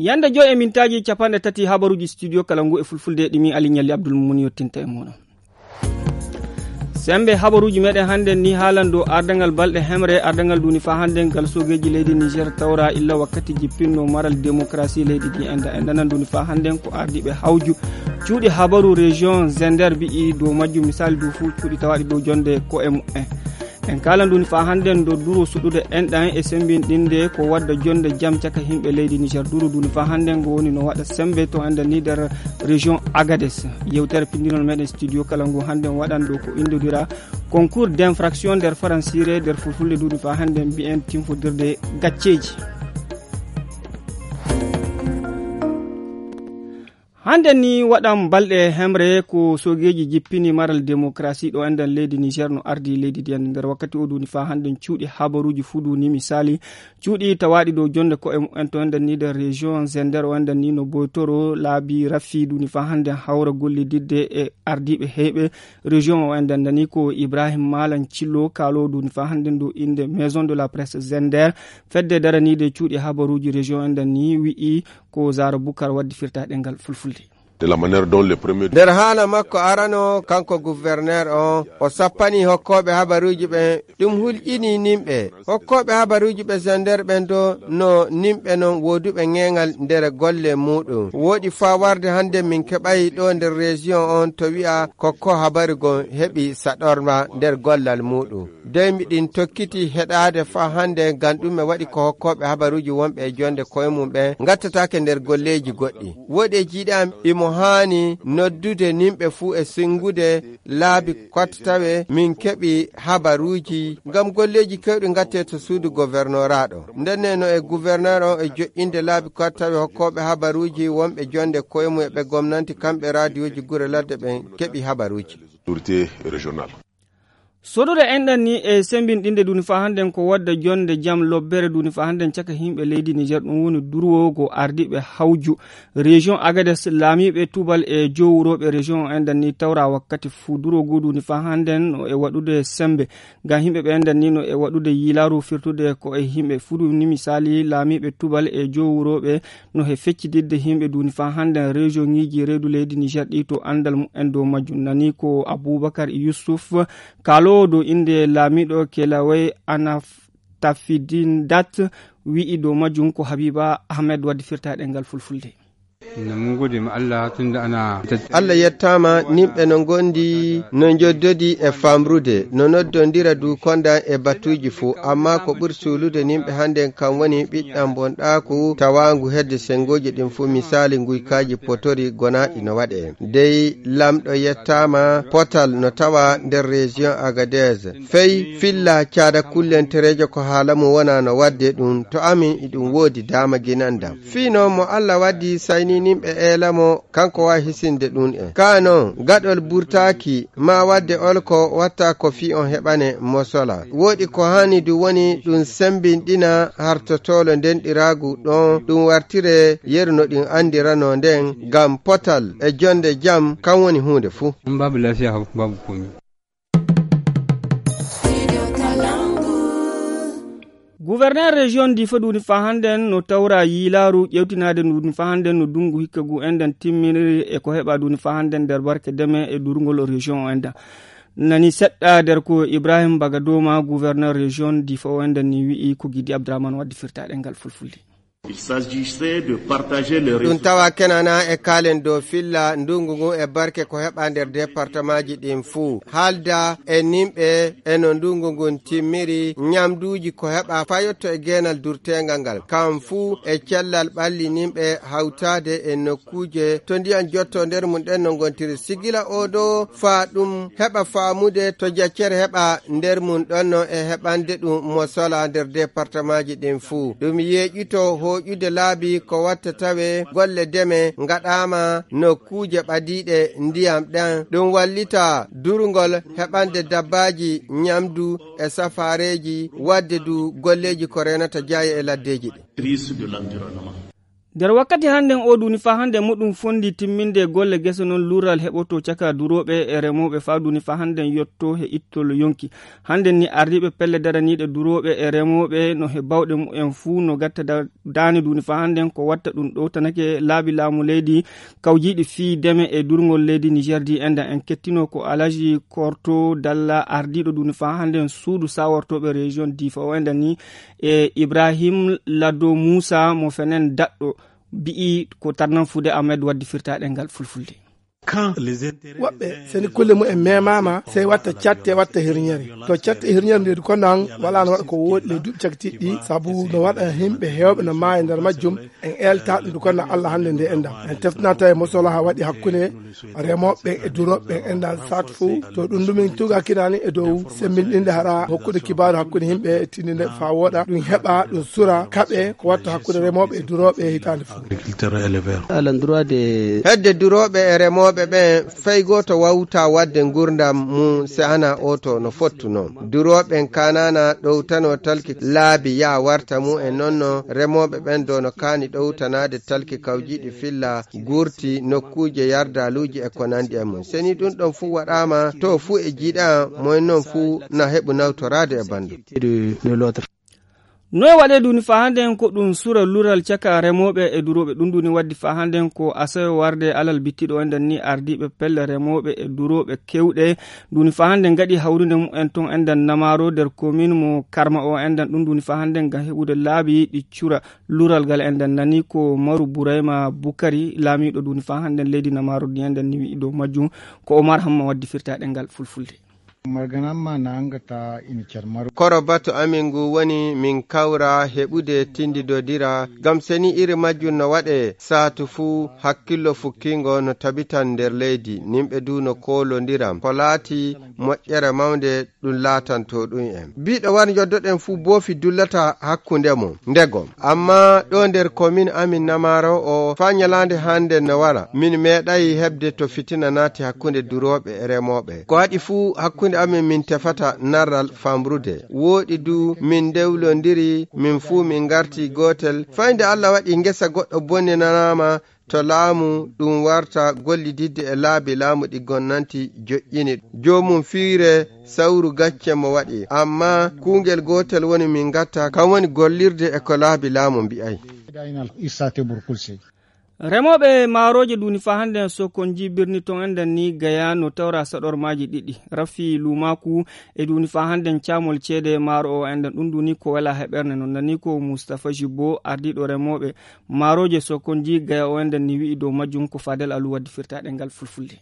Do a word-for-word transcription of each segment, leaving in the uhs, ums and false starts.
Yande joy e mintaaji capanɗe tati habaruuji studio kala ngu e fulfulde ɗi mi Ali Ñalli Abdul Mumun yottinta e mooɗon. Sembe habaruuji meɗen hannden ni haalan dow ardangal balɗe hemre, ardangal duni faa hannden ngal soogeeji leydi Niger tawra illa wakkati jippinno maral démocratie leydi ndi enda. Enda nan duni faa hannden ko ardiiɓe hawju cuuɗi habaru région Zender mbi'i dow majjum misali dow fuu cuuɗi tawaaɗi dow jonde ko e mu'en. En kaalan duni faa hannden dow duro suɗude enɗan e sembinɗinde ko wadda jonde jam caka himɓe leydi Niger. Duro duni faa hannden ngo woni no waɗa sembe to enda ni nder région Agadez. Yewtere pindinol meɗen studio kala ngu hannden waɗan ɗo ko indodira concours d'infraction nder faransire, nder fulfulde duni faa hannden mbi'en tinfodirde gacceeji. Hannden ni waɗan balɗe hemre ko soogeeji jippini maral démocratie ɗo enɗan leydi Niger no ardi leydi ndi ender. Nder wakkati o duni faa hannden cuuɗi habaruuji fuu duni misali cuuɗi tawaaɗi dow jonde ko e mu'en to enɗan ni nder région Zender o enɗan ni no boytoro laabi rafi duni faa hannden hawra gollididde e ardiiɓe heyɓe région o enɗan dani ko Ibrahim Malam Cillo kaalo duni faa hannden dow innde Maison de la Presse Zender. Fedde daraniide cuuɗi habaruuji région enɗan ni wi'i ko Zara Bukar waddi firta ɗengal fulfulde. De la manière dont les premiers Nder haala makko arano, kanko gouverneur on, o sappani hokkooɓe habaruuji ɓen, ɗum hulƴini nimɓe. Hokkooɓe habaruuji ɓe Zender ɓen do no nimɓe non wooduɓe ŋeeŋal nder golle muuɗum. Wooɗi faa warde hannde min keɓay ɗo nder région on to wi'a ko ko habaru gon heɓi saɗorma nder gollal muuɗum. Dey miɗin tokkiti heɗaade faa hannde, ngam ɗume waɗi ko hokkooɓe habaruuji wonɓe e jonde koye mum ɓen ngattataake nder golleeji goɗɗi. Woɗeeji ɗi am imo haani noddude nimɓe fuu e sinngude laabi kottawe min keɓi habaruuji, ngam golleeji keewɗi ngattee to suudu governoraaɗo. Ndenne no e gouverneur on e joƴƴinde laabi kottawe hokkooɓe habaruuji wonɓe jonde koye mum e ɓe gomnanti kamɓe raadiyooji gure ladde ɓen keɓi habaruuji. Autorité régionale. Sodude enɗan ni e sembinɗinde duni faa hannden ko wadda jonde jam lobbere duni faa hannden caka himɓe leydi Niger ɗum woni durwoogo ardiiɓe hawju région Agadez laamiiɓe tubal e jowurooɓe région o enɗan ni tawra wakkati fuu durwoogo duni faa hannden no e waɗude sembe ngam himɓe ɓe enɗan ni no e waɗude yilaaru firtude ko e himɓe fuu duni misali laamiiɓe tubal e jowurooɓe no he feccididde himɓe duni faa hannden région ŋiiji reedu leydi Niger ɗi to anndal mumen dow majjum nani ko Abubakar Yusuf. Kaaloowo dow innde laamiiɗo Kelaway Anaf Tafidin Dat wi'i dow majjum ko Habiba Ahmed waddi firtaaɗe ngal fulfulde. Ina mun gode ma Allah tun da ana Allah yettaama, nimɓe no ngondi no njoddodi e famrude, no noddondira du konda e batuuji fuu, amma ko ɓuri suulude nimɓe hannden kan woni ɓiɗɗan bonɗaaku tawaangu hedde senngooji ɗin fuu, misaali nguykaaji potori gonaaɗi no waɗee. Dey Lamɗo yettaama, potal no tawa nder région Agadez. Fey filla caada kullentereejo ko haala mum wona no waɗde ɗum, to amin iɗum woodi daama ginandam. Fii non mo Allah waddi saynininɓe eelamo, kanko waawi hisinde ɗum en. Kaa non, gaɗol burtaaki, maa waɗde olko watta ko fii on heɓane mosola. Woɗi ko haani du woni ɗum sembinɗina hartotoolo ndenɗiraagu ɗon, ɗum wartire yeru no ɗum anndiranoo nden, ngam potal e jonde jam, kan woni huunde fuu. In babu lafiya, babu komi. Gouverneur région Difa duni faa hannden no tawra yiilaaru ƴewtinaade ndu duni faa hannden no dungu hikka gu enɗan timminiri e ko heɓa duni faa hannden nder barke deme e durngol région o enɗan. Nani seɗɗa nder ko Ibrahim Bagadoma, gouverneur région Difa o enɗan ni wi'i ko Gidi Abdourahmane waddi firtaaɗe ngal fulfulde. Il s'agissait de partager les Ɗum tawa kenana e kaalen dow filla ndungu ngun e barke ko heɓa nder départementji ɗin fuu. Haalda e nimɓe e no ndungu ngun timmiri, ñamduuji ko heɓa fayotto e geenal durteengal ngal. Kam fuu e cellal ɓalli nimɓe hawtaade e nokkuuje to ndiyan jotto nder mum ɗen no ngontiri. Sigila oo ɗoo faa ɗum heɓa faamude to jaccere heɓa nder mum ɗon no e heɓande ɗum mo sola nder départementji ɗin fuu. Ɗum yeeƴito hooƴude laabi ko watta tawe golle deme ngaɗaama nokkuuje ɓadiiɗe ndiyam ɗan. Ɗum wallita durngol heɓande dabbaaji ñamdu e safaareeji, waɗde du golleeji ko reenata jaaye e laddeeji ɗin. Crise de l'environnement. Nder wakkati hannden o duni faa hannden muɗum fondi timminde golle gese noon luural heɓoto caka durooɓe e remooɓe faa duni faa hannden yotto he ittol yonki. Hannden ni ardiiɓe pelle daraniiɗe durooɓe e remooɓe no he bawɗe mumen fuu no gatta da- daane duni faa hannden ko watta ɗum ɗowtanake laabi laamu leydi kawjiiɗi fii deme e durngol leydi Niger di enda en kettino ko Alaji Korto Dalla ardiiɗo duni faa hannden suudu sawortooɓe région Difa o enda ni e Ibrahim Lado Musa mo fenen daɗɗo bi'i ko tarnan fuude Ahmed waddi firtaaɗe ngal fulfulde. Woɓɓe seni kulle mumen memaama sey watta catte watta hirñere to catte e hirñere nde ko nan wala no waɗa ko wooɗi le duuɓi cakitiɗɗi sabu no waɗa himɓe heewɓe no maayi nder majjum. En elta ɗum ko na Allah hannde nde enɗam en teftinata e mosolaha waɗi hakkunde remooɓe ɓen e durooɓe ɓen enɗam saatu fof to ɗum ɗumin tuga kinani e dow semmbinɗinde hara hokkude kibaaru hakkunde yimɓe e tindinde faa wooɗa ɗum heɓa ɗum sura kaɓe ko watta hakkunde remooɓe e durooɓe e hitaande fof. Hedde durooɓe e remooɓe ɓen fay gooto wawta waɗde ngurndam mum se hana oto no fottuno. Durooɓe ɓen kanana ɗowtano talki laabi ya warta mum e nonno remooɓe ɓen do no kaani ɗowtanaade talki kawjiiɗi filla gurti nokkuuje yardaaluuji e ko nanndi e mum. Seni ɗum ɗon fuu waɗaama to fuu e jiiɗa moyen non fuu na heɓu nawtoraade e banndum. Noy waɗe duni faa hannden ko ɗum sura lural caka remooɓe e durooɓe ɗum duni waddi faa hannden ko asawe warde alal bittiɗo enɗan ni ardiiɓe pelle remooɓe e durooɓe kewɗe duni faa hannden ngaɗi hawrunde mumen ton enɗan namaro nder komin mo karma o enɗan ɗum duni faa hannden ngam heɓude laabi ɗi cura lural ngal enɗan nani ko maru burayma bukari laamiiɗo duni faa hannden leydi namaro ndi enɗan ni wi'i dow majjum. Ko omar hamma waddi firtaaɗe ngal fulfulde. Marganamma na angata ini carmaru. Koro batu amin ngu woni min kawra heɓude tindidodira ngam seni iri majjum no waɗe saatu fuu hakkillo fukkingo no tabitan nder leydi nimɓe du no koolondiram ko laati moƴƴere mawnde ɗum laatanto ɗum en biɗo wan yoddoɗen fuu boofi dullata hakkunde mum ndegom. Amma ɗo nder komin amin namaro o faa nyalaande hannde no wara min meeɗayi heɓde to fitina naati hakkunde durooɓe e remooɓe ko waɗi fuu hakkunde amin min tefata narral famrude wooɗi du min ndewlondiri min fuu min ngarti gootel fay nde Allah waɗi ngesa goɗɗo bonninanaama to laamu ɗum warta gollididde e laabi laamu ɗi gonnanti joƴƴini joomum fiire sawru gacce mo waɗi amma kuungel gootel woni min ngatta kam woni gollirde e ko laabi laamu mbi'ay. Remooɓe maarooje duuni faa hannden sokon njii birni ton enɗan ni gaya no tawra saɗormaaji ɗiɗi rafi luumaaku e duuni faa hannden caamol ceede maaro o enɗan ɗum duuni ko wela heɓerne non nani ko mustafa jibbo ardiiɗo remooɓe maarooje sokon njii gaya o enɗan ni wi'i dow majjum ko faadel alu waddi firtaaɗe ngal fulfulde.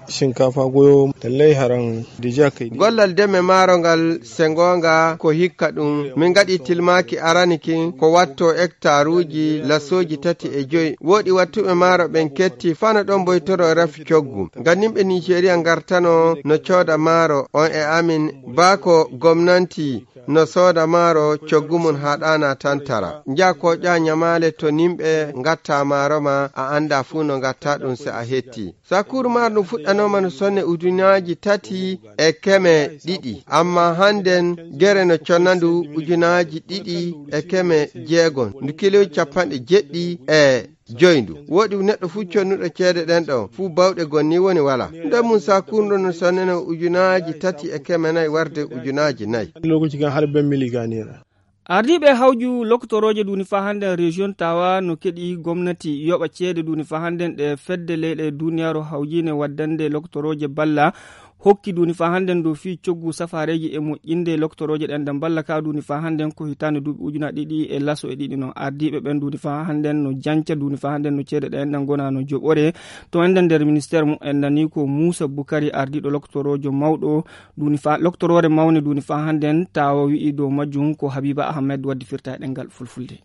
Shinkafa goyo lallai haran dija kai gollal deme maaro ngal se ngoonga ko hikka ɗum min ngaɗi tilmaaki arani kin ko watto hektaruuji lasooji tati e joyi wooɗi wattuɓe maaro ɓen ketti fano ɗon boytoro e rafi coggu ngam nimɓe nigeria ngartano no cooda maaro on e amin baa ko gomnanti no sooda maaro coggu mum haa ɗaana tan tara nja koƴa ñamaale to nimɓe ngatta maaro ma a annda fuu no ngatta ɗum se a hetti sakkuuru maaro ɗum fuɗɗanooma no sonne ujunaaji tati e keme ɗiɗi amma hannden gere no conna ndu ujunaaji ɗiɗi e keme jeegom ndu kiloji capanɗe jeɗɗi e joyi ndu wooɗi neɗɗo fuu connuɗo ceede ɗen ɗo fuu bawɗe gonni woni wala nden mum sakkuuru ɗo no sonnene ujunaaji tati e keme nayi warde ujunaaji nayi. Lokaci kan har ben miliganira. Ardiiɓe hawju loktorooje duuni faa hannden rejiyon tawa no keɗi gomnati yoɓa ceede duuni faa hannden ɗe fedde leyɗe duuniyaaru hawjiine waddande loktorooje balla hokki duuni faa hannden dow fii coggu safaareeji e moƴƴinde loktorooje ɗen ɗan balla ka duuni faa hannden ko hitaande duuɓi ujuna ɗiɗi e laso e ɗiɗi no ardiiɓe ɓen duuni faa hannden no janca duuni faa hannden no ceede ɗen ɗan gona no joɓore to enɗan nder ministeer mum enɗan ni ko muusa bukari ardiiɗo loktoroojo mawɗo duuni faa loktoroore mawne duuni faa hannden tawa wi'i dow majjum ko habiba ahmed waddi firtaaɗe ngal fulfulde.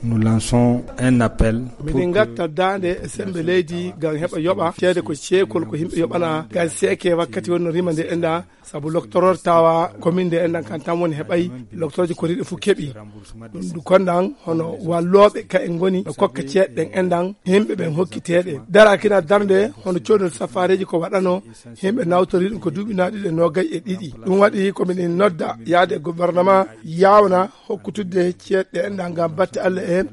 Nous lançons un appel. Miɗen ngatta daande e sembe leydi ngam heɓa yoɓa ceede ko ceekol ko yimɓe yoɓana ngam seeke wakkati wonno rima nde enɗa sabu loktoroor tawa komin nde enɗan kan tan woni heɓay loktoroje ko riɗe fof keɓi ɗum du konɗan hono wallooɓe ka en ngoni ɓe kokka ceeɗe ɗen enɗan yimɓe ɓen hokkiteeɗe dara kina darnde hono coodol safaareeji ko waɗano yimɓe nawtori ɗum ko duuɓi naaɗiɗe noogay e ɗiɗi ɗum waɗi ko miɗen nodda yaade e gouvernement yawna hokkutudde ceeɗe enɗan ngam batte allah en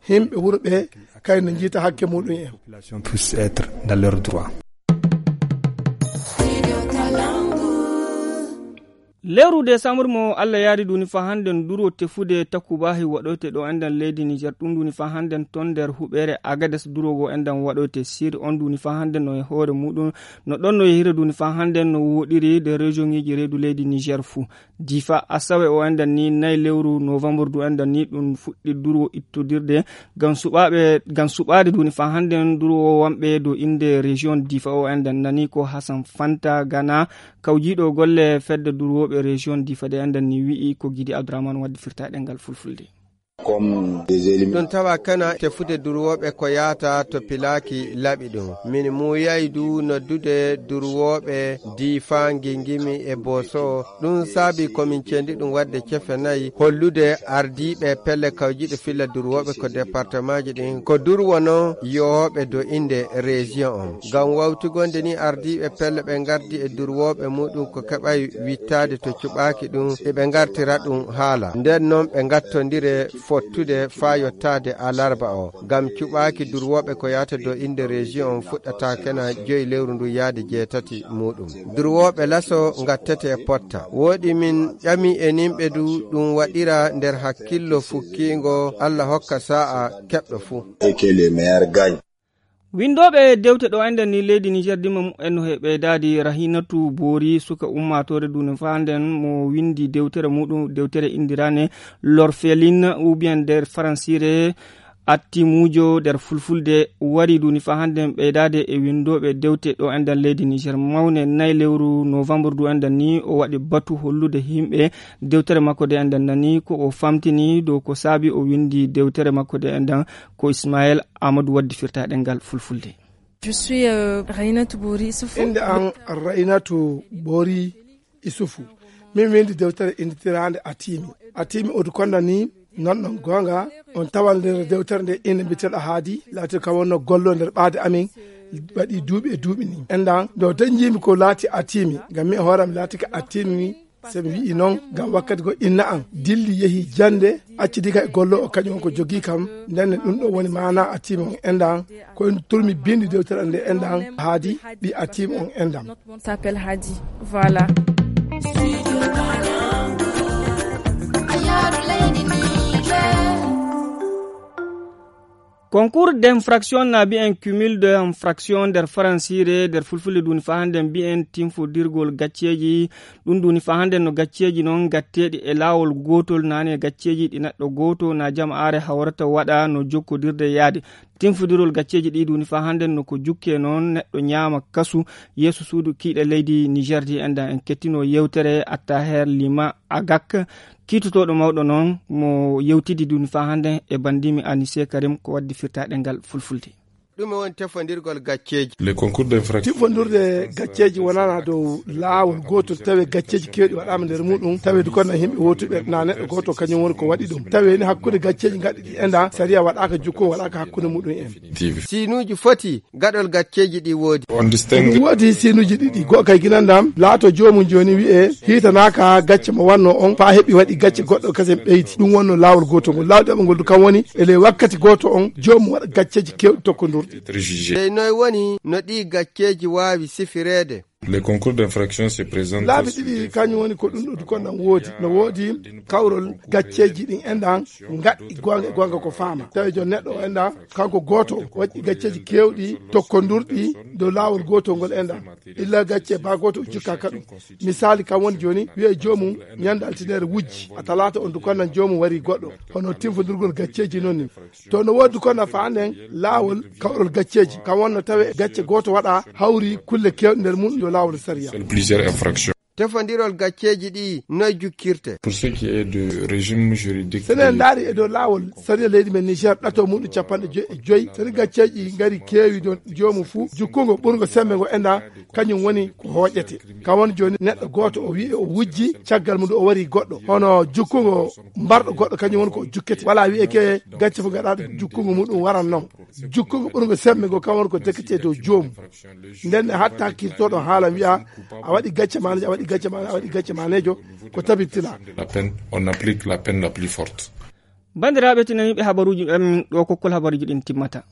yimɓe wuro ɓe kay no njiita hakke muɗum en. Population puisse être dans leurs droits. Lewru décembre mo Allah yaari duni fa hannden duro tefude takubahi waɗoyte ɗo enɗan leydi Niger, ɗum duni fa hannden ton nder huɓeere Agades duro go enɗan waɗoyte sir on duni fa hannden no e hoore muɗum, no ɗon no yehira duni fa hannden no woɗiri de région ŋiji reedu leydi Niger fuu. Difa asawe o enɗan ni nay lewru novembre du enɗan ni ɗum fuɗɗi duro ittodirde ngam suɓaaɓe, ngam suɓaade duni fa hannden duro o wamɓe do innde région Difa o enɗan nani ko Hassan Fanta Gana, kawjiiɗo golle fedde durwooɓe région Difa de enɗan ni wi'i ko Gidi Abdourahmane waddi firtaaɗe ngal fulfulde. Comme des éliminatoires. Ɗum tawa kana tefude durwooɓe ko yaata to pilaaki laɓi ɗum. Min muuyay du noddude durwooɓe Difa, Ngingimi e Boso. Ɗum saabi ko min cendi ɗum wadde cefe nayi, hollude ardiiɓe pelle kawjiiɗe filla durwooɓe ko départementji ɗin, ko durwo non yohooɓe do innde région on. Ngam wawtigonde ni ardiiɓe pelle ɓe ngardi e durwooɓe muɗum ko keɓay wittaade to cuɓaaki ɗum, eɓe ngartira ɗum haala. Nden non ɓe ngattondire fottude faa yottaade alarba o. Ngam cuɓaaki durwooɓe ko yaata do innde région on fuɗɗata kena joyi lewru ndu yaade jeetati muɗum. Durwooɓe laso ngattete potta. Wooɗi min ƴami e nimɓe du ɗum waɗira nder hakkillo fukkiingo, Allah hokka saa'a keɓɗo fuu. Et que les meilleurs gagnent. Winndooɓe dewte ɗo enɗen ni leydi Niger dimma mumen no he ɓeydaadi. Rahinatu Boori, suka ummaatoore duni fa hannden mo winndi dewtere muɗum, dewtere inndirane L'Orpheline ou bien nder faransiire Attimuujo nder fulfulde, wari duni fa hannden ɓeydaade e winndooɓe dewte ɗo enɗen leydi Niger. Mawne nay lewru novembre du enɗen ni o waɗi batu hollude yimɓe dewtere makko de enɗen nani ko o famtini dow ko saabi o winndi dewtere makko de enɗen ko Ismaël Amadou waddi firtaaɗe ngal fulfulde. Je suis, euh, Rainatu Boori Isufu. Innde an Rainatu Boori Isufu. Min winndi dewtere innditiraande Atimi. Atimi odu konna ni, non non goonga, on tawal nder dewtere nde inde mbiteɗo Haadi, laati kam wonno gollo nder ɓaade amin, waɗi duuɓi e duuɓi ni. Enɗan, ɗo tan njiimi ko laati Atimi, ngam mi e hooram laati ka Atimi, se mi wi'i non, ngam wakkati go inna an dilli yehi jannde, acci diga e gollo o kañum on ko jogii kam, nden ne ɗum ɗo woni maana Atimi on enɗan, ko en turmi bindi dewtere nde enɗan Haadi, ɓi Atimi on enɗan. Mon s'appelle Hadi. Voilà. Concours d'infraction na mbiyen cumul d'infraction nder faransiire, nder fulfulde duni fa hannden mbiyen tinfodirgol gacceeji. Ɗum duni fa hannden no gacceeji non gatteeɗi e laawol gootol, naane gacceeji ɗi neɗɗo gooto na jama'aare hawrata waɗa no jokkodirde yaade. Tinfodirol gacceeji ɗi duni fa hannden no ko jukke non neɗɗo ñaama kasu yeeso suudu kiiɗe leydi Niger di. Enɗan en kettino yewtere Attaher Lima Agak, kiitotooɗo mawɗo non mo yewtidi duni fa hannden e banndimi Anise Karim ko waddi firtaaɗe ngal fulfulde. Ɗum woni tefondirgol gacceeji. Les concours d'infraction. Tifondirde gacceeji wonana dow laawol gootol, tawe gacceeji keewɗi waɗaama nder muɗum, tawe du kono yimɓe wootuɓe na neɗɗo gooto kañum woni ko waɗi ɗum. Tawe ni hakkunde gacceeji gaɗɗi ɗi enɗan, sariya waɗaaka jukkum, waɗaaka hakkunde muɗum en. Siinuuji foti gaɗol gacceeji ɗi woodi. On distingue. Ɗum woodi siinuuji ɗiɗi. Go'o kay ginan ɗam laato joomum jooni wi'e hiitanaaka gacce mo wanno on faa heɓi waɗi gacce goɗɗo kasen ɓeydi. Ɗum wonno laawol gootol ngol. Laawol ɗiɗaɓo ngol du kam woni e ley wakkati gooto on joomum waɗa gacceeji keewɗi tokkondirɗi. Être jugé. Dey noy woni no ɗii gacceeji waawi sifireede? Les concours d'infraction se présentent. Laabi ɗiɗi kañum woni ko ɗum ɗo du kon ɗan woodi. No woodi kawrol gacceeji ɗin enɗan ngaɗɗi goonga e goonga ko faama. Tawi jon neɗɗo o enɗan kanko gooto waɗi gacceeji keewɗi tokkondirɗi dow laawol gootol ngol enɗan. Illa gacce baa gooto o jukkaaka ɗum. Misaali kam woni jooni wi'e joomum ñande altine wujji, a talaata on du kon ɗan joomum wari goɗɗo. Hono tinfondirgol gacceeji non ni. To no woodi kon ɗan fa hannden laawol kawrol gacceeji. Kam wonno tawe gacce gooto waɗa hawri kulle keewɗe nder mum dow laawol sariya. Plusieurs infractions. Tefondirol gacceeji ɗi noy jukkirte? Pour ce qui est du régime juridique. Sene ndaari e dow laawol sariya leydi men Niger ɗato muɗum capanɗe joyi e joyi. Sene gacceeji ngari keewi dow joomum fuu jukkungo ɓurngo sembe ngo enɗan kañum woni ko hooƴete. Kam woni jooni neɗɗo gooto o wi'i o wujji caggal mum o wari goɗɗo. Hono jukkungo mbarɗo goɗɗo kañum woni ko jukkete. Wala wi'e ke gacce fof gaɗaaɗo jukkungo muɗum waran non. Jukkungo ɓurngo sembe ngo kam woni ko dekkete dow joomum. Nden ne hatta kirtoɗo haala wi'a a waɗi gacce manejo, a waɗi gacce manejo, a waɗi gacce manejo, ko tabitila. La peine, on applique la peine la plus forte. Banndiraaɓe, tinaniiɓe habaruuji men ɗo kokkol habaruuji ɗin timmata.